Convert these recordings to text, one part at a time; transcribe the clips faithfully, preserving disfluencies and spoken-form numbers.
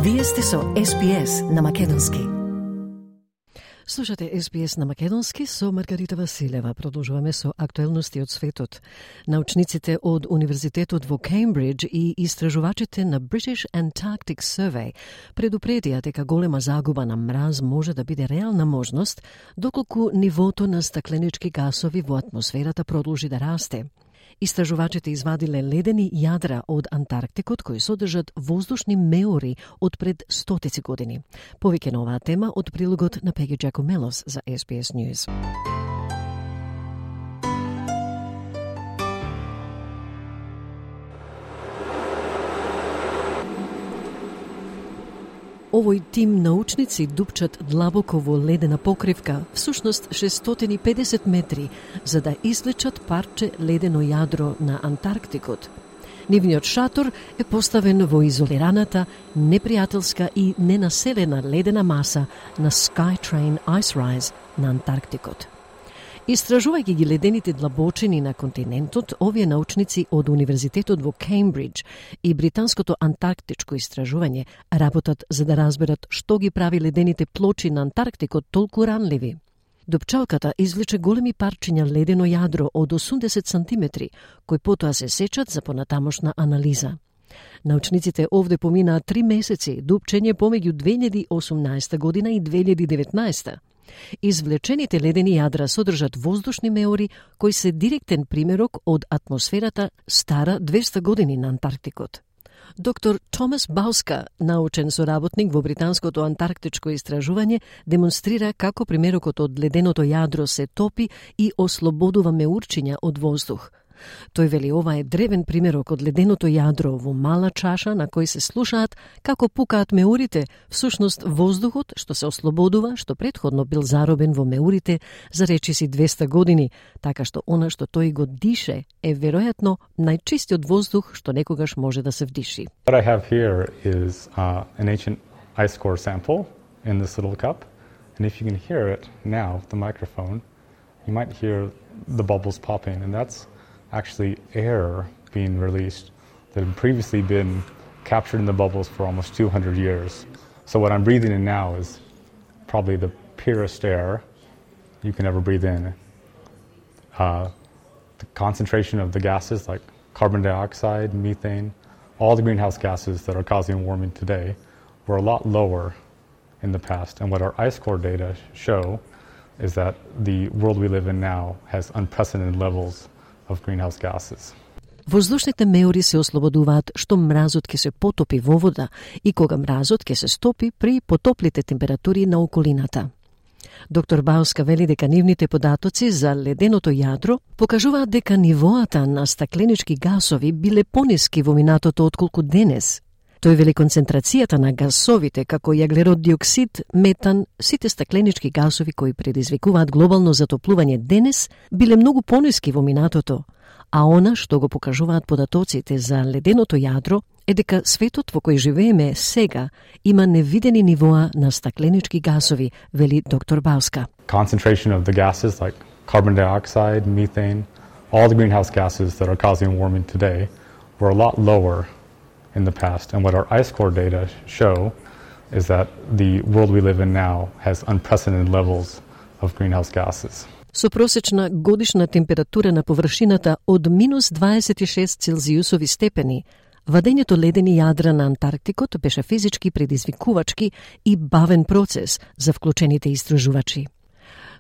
Вие сте со Ес Би Ес на Македонски. Слушате Ес Би Ес на Македонски со Маргарита Василева. Продолжуваме со актуелности од светот. Научниците од Универзитетот во Кембридж и истражувачите на British Antarctic Survey предупредија дека голема загуба на мраз може да биде реална можност доколку нивото на стакленички гасови во атмосферата продолжи да расте. Истражувачите извадиле ледени јадра од Антарктикот кои содржат воздушни меори од пред стотици години. Повеќе на оваа тема од прилогот на Пеги Джакомелос за Ес Би Ес News. Овој тим научници дупчат длабоко во ледена покривка, всушност шестстотини и педесет метри, за да извлечат парче ледено јадро на Антарктикот. Нивниот шатор е поставен во изолираната, непријателска и ненаселена ледена маса на Skytrain Ice Rise на Антарктикот. Истражувајќи ги ледените длабочини на континентот, овие научници од Универзитетот во Кембридж и Британското антарктичко истражување работат за да разберат што ги прави ледените плочи на Антарктикот толку ранливи. Дупчалката извлече големи парчиња ледено јадро од осумдесет сантиметри, кои потоа се сечат за понатамошна анализа. Научниците овде поминаа три месеци дупчење помеѓу две илјади и осумнаесета година и две илјади и деветнаесета. Извлечените ледени јадра содржат воздушни меори кои се директен примерок од атмосферата стара двеста години на Антарктикот. Доктор Томас Бауска, научен соработник во Британското антарктичко истражување, демонстрира како примерокот од леденото јадро се топи и ослободува меурчиња од воздух. Тој вели ова е древен примерок од леденото јадро во мала чаша на кој се слушаат како пукаат меурите, всушност воздухот што се ослободува, што претходно бил заробен во меурите за речиси двеста години, така што она што тој го дише е веројатно најчистиот воздух што некогаш може да се вдиши. What I have here is uh, an ancient ice core sample in this little cup, and if you can hear it now, the microphone, you might hear the bubbles popping, and that's actually air being released that had previously been captured in the bubbles for almost two hundred years. So what I'm breathing in now is probably the purest air you can ever breathe in. Uh, the concentration of the gases like carbon dioxide, methane, all the greenhouse gases that are causing warming today were a lot lower in the past. And what our ice core data show is that the world we live in now has unprecedented levels of greenhouse gases. Воздушните меори се ослободуваат што мразот ќе се потопи во вода и кога мразот ќе се стопи при потоплите температури на околината. Доктор Бауска вели дека нивните податоци за леденото јадро покажуваат дека нивоата на стакленички гасови биле пониски во минатото отколку денес. Тој вели концентрацијата на гасовите како јаглерод диоксид, метан, сите стакленички гасови кои предизвикуваат глобално затоплување денес биле многу пониски во минатото, а она што го покажуваат податоците за леденото јадро е дека светот во кој живееме сега има невидени нивоа на стакленички гасови, вели доктор Бауска. Concentration of the gases like carbon dioxide, methane, all the greenhouse gases that are causing warming today were a lot lower in the past. And what our ice core data show is that the world we live in now has unprecedented levels of greenhouse gases. Со просечна годишна температура на површината од минус дваесет и шест целзиусови степени, вадењето ледени јадра на Антарктикот беше физички предизвикувачки и бавен процес за вклучените истражувачи.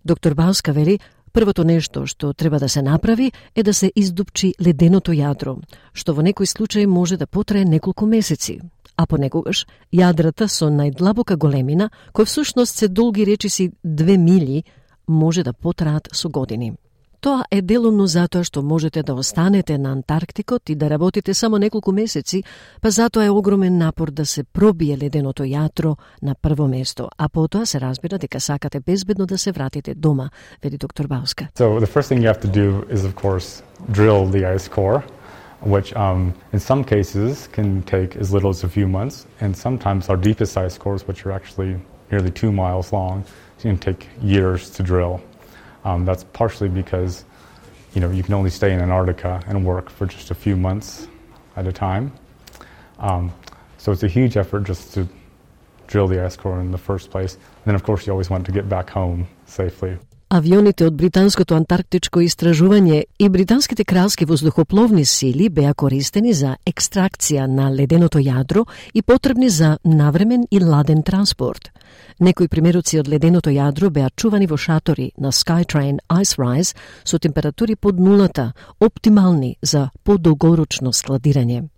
Доктор Бауска вели, првото нешто што треба да се направи е да се издупчи леденото јадро, што во некој случај може да потрае неколку месеци, а понекогаш јадрата со најдлабока големина, кои всушност се долги речиси две милји, може да потраат со години. Тоа е делумно затоа што можете да останете на Антарктикот и да работите само неколку месеци, па затоа е огромен напор да се пробие леденото јадро на прво место, а потоа се разбира дека сакате безбедно да се вратите дома, вели доктор Бауска. So the first thing you have to do is of course drill the ice core, which um, in some cases can take as little as a few months, and sometimes our deepest ice cores, which are actually nearly two miles long, can take years to drill. Um, that's partially because, you know, you can only stay in Antarctica and work for just a few months at a time. Um, so it's a huge effort just to drill the ice core in the first place. And then, of course, you always want to get back home safely. Авионите од британското антарктичко истражување и британските кралски воздухопловни сили беа користени за екстракција на леденото јадро и потребни за навремен и ладен транспорт. Некои примероци од леденото јадро беа чувани во шатори на Skytrain Ice Rise со температури под нулата, оптимални за подолгорочно складирање.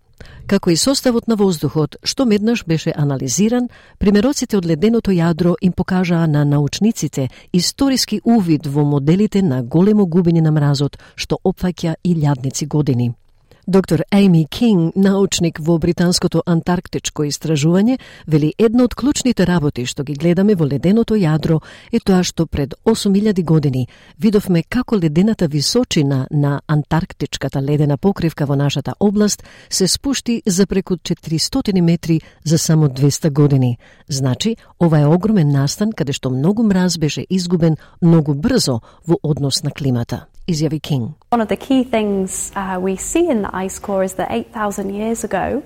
Како и составот на воздухот, што меднаш беше анализиран, примероците од леденото јадро им покажаа на научниците историски увид во моделите на големо губење на мразот, што опфаќа и илјадници години. Доктор Amy King, научник во британското антарктичко истражување, вели една од клучните работи што ги гледаме во леденото јадро е тоа што пред осум илјади години видовме како ледената височина на антарктичката ледена покривка во нашата област се спушти за преку четиристотини метри за само двесте години. Значи, ова е огромен настан каде што многу мраз беше изгубен многу брзо во однос на климата. Изјави King. One of the key things uh, we see in the ice core is that eight thousand years ago,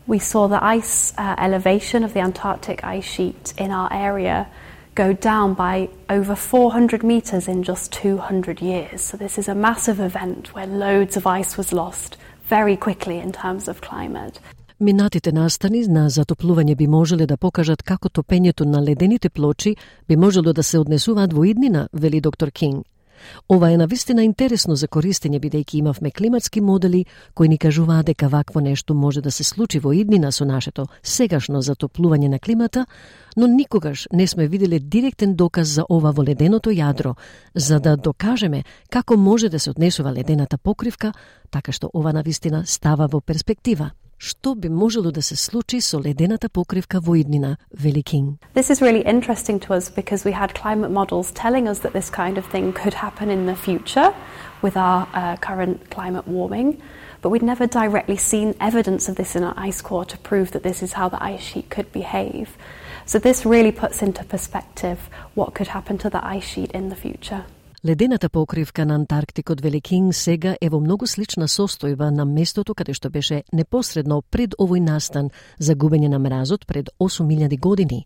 we saw the ice uh, elevation of the Antarctic ice sheet in our area go down by over four hundred meters in just two hundred years. So this is a massive event where loads of ice was lost very quickly in terms of climate. Минатите настани на затоплување би можеле да покажат како топењето на ледените плочи би можело да се однесуваат во иднина, вели доктор Кинг. Ова е навистина интересно за користење, бидејќи имавме климатски модели кои ни кажуваат дека вакво нешто може да се случи во иднина со нашето сегашно затоплување на климата, но никогаш не сме виделе директен доказ за ова во леденото јадро, за да докажеме како може да се однесува ледената покривка, така што ова навистина става во перспектива. Што би можело да се случи со ледената покривка во иднина, вели Кинг. This is really interesting to us because we had climate models telling us that this kind of thing could happen in the future with our uh, current climate warming, but we'd never directly seen evidence of this in our ice core to prove that this is how the ice sheet could behave. So this really puts into perspective what could happen to the ice sheet in the future. Ледената покривка на Антарктикот, вели Кинг, сега е во многу слична состојба на местото каде што беше непосредно пред овој настан за губење на мразот пред осум илјади години.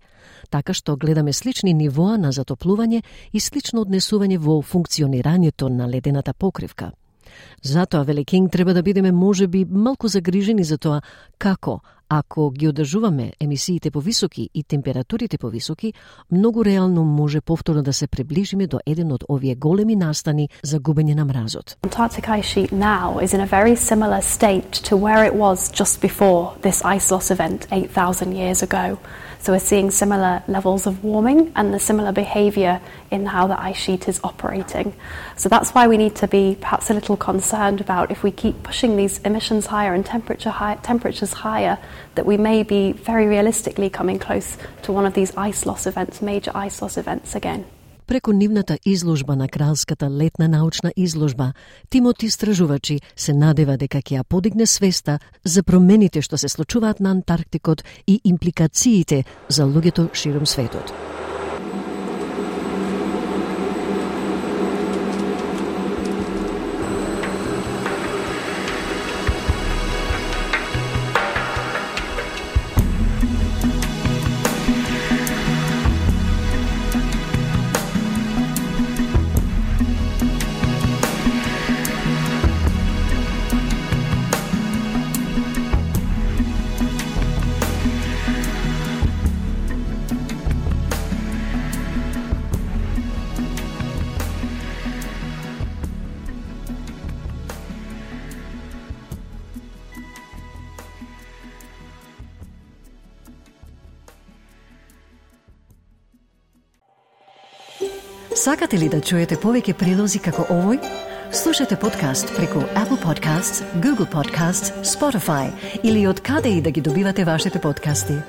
Така што гледаме слични нивоа на затоплување и слично однесување во функционирањето на ледената покривка. Затоа, вели Кинг, треба да бидеме можеби малку загрижени за тоа како, ако ги одржуваме емисиите повисоки и температурите повисоки, многу реално може повторно да се приближиме до еден од овие големи настани за губење на мразот. Antarctic ice sheet now is in a very similar state to where it was just before this ice loss event eight thousand years ago. So we're seeing similar levels of warming and the similar behaviour in how the ice sheet is operating. So that's why we need to be perhaps a little concerned about if we keep pushing these emissions higher and temperature high, temperatures higher, that we may be very realistically coming close to one of these ice loss events, major ice loss events again. Преку нивната изложба на Кралската летна научна изложба, тимот истражувачи се надева дека ќе ја подигне свеста за промените што се случуваат на Антарктикот и импликациите за луѓето ширум светот. Сакате ли да чуете повеќе прилози како овој? Слушате подкаст преку Apple Podcasts, Google Podcasts, Spotify или од каде и да ги добивате вашите подкасти.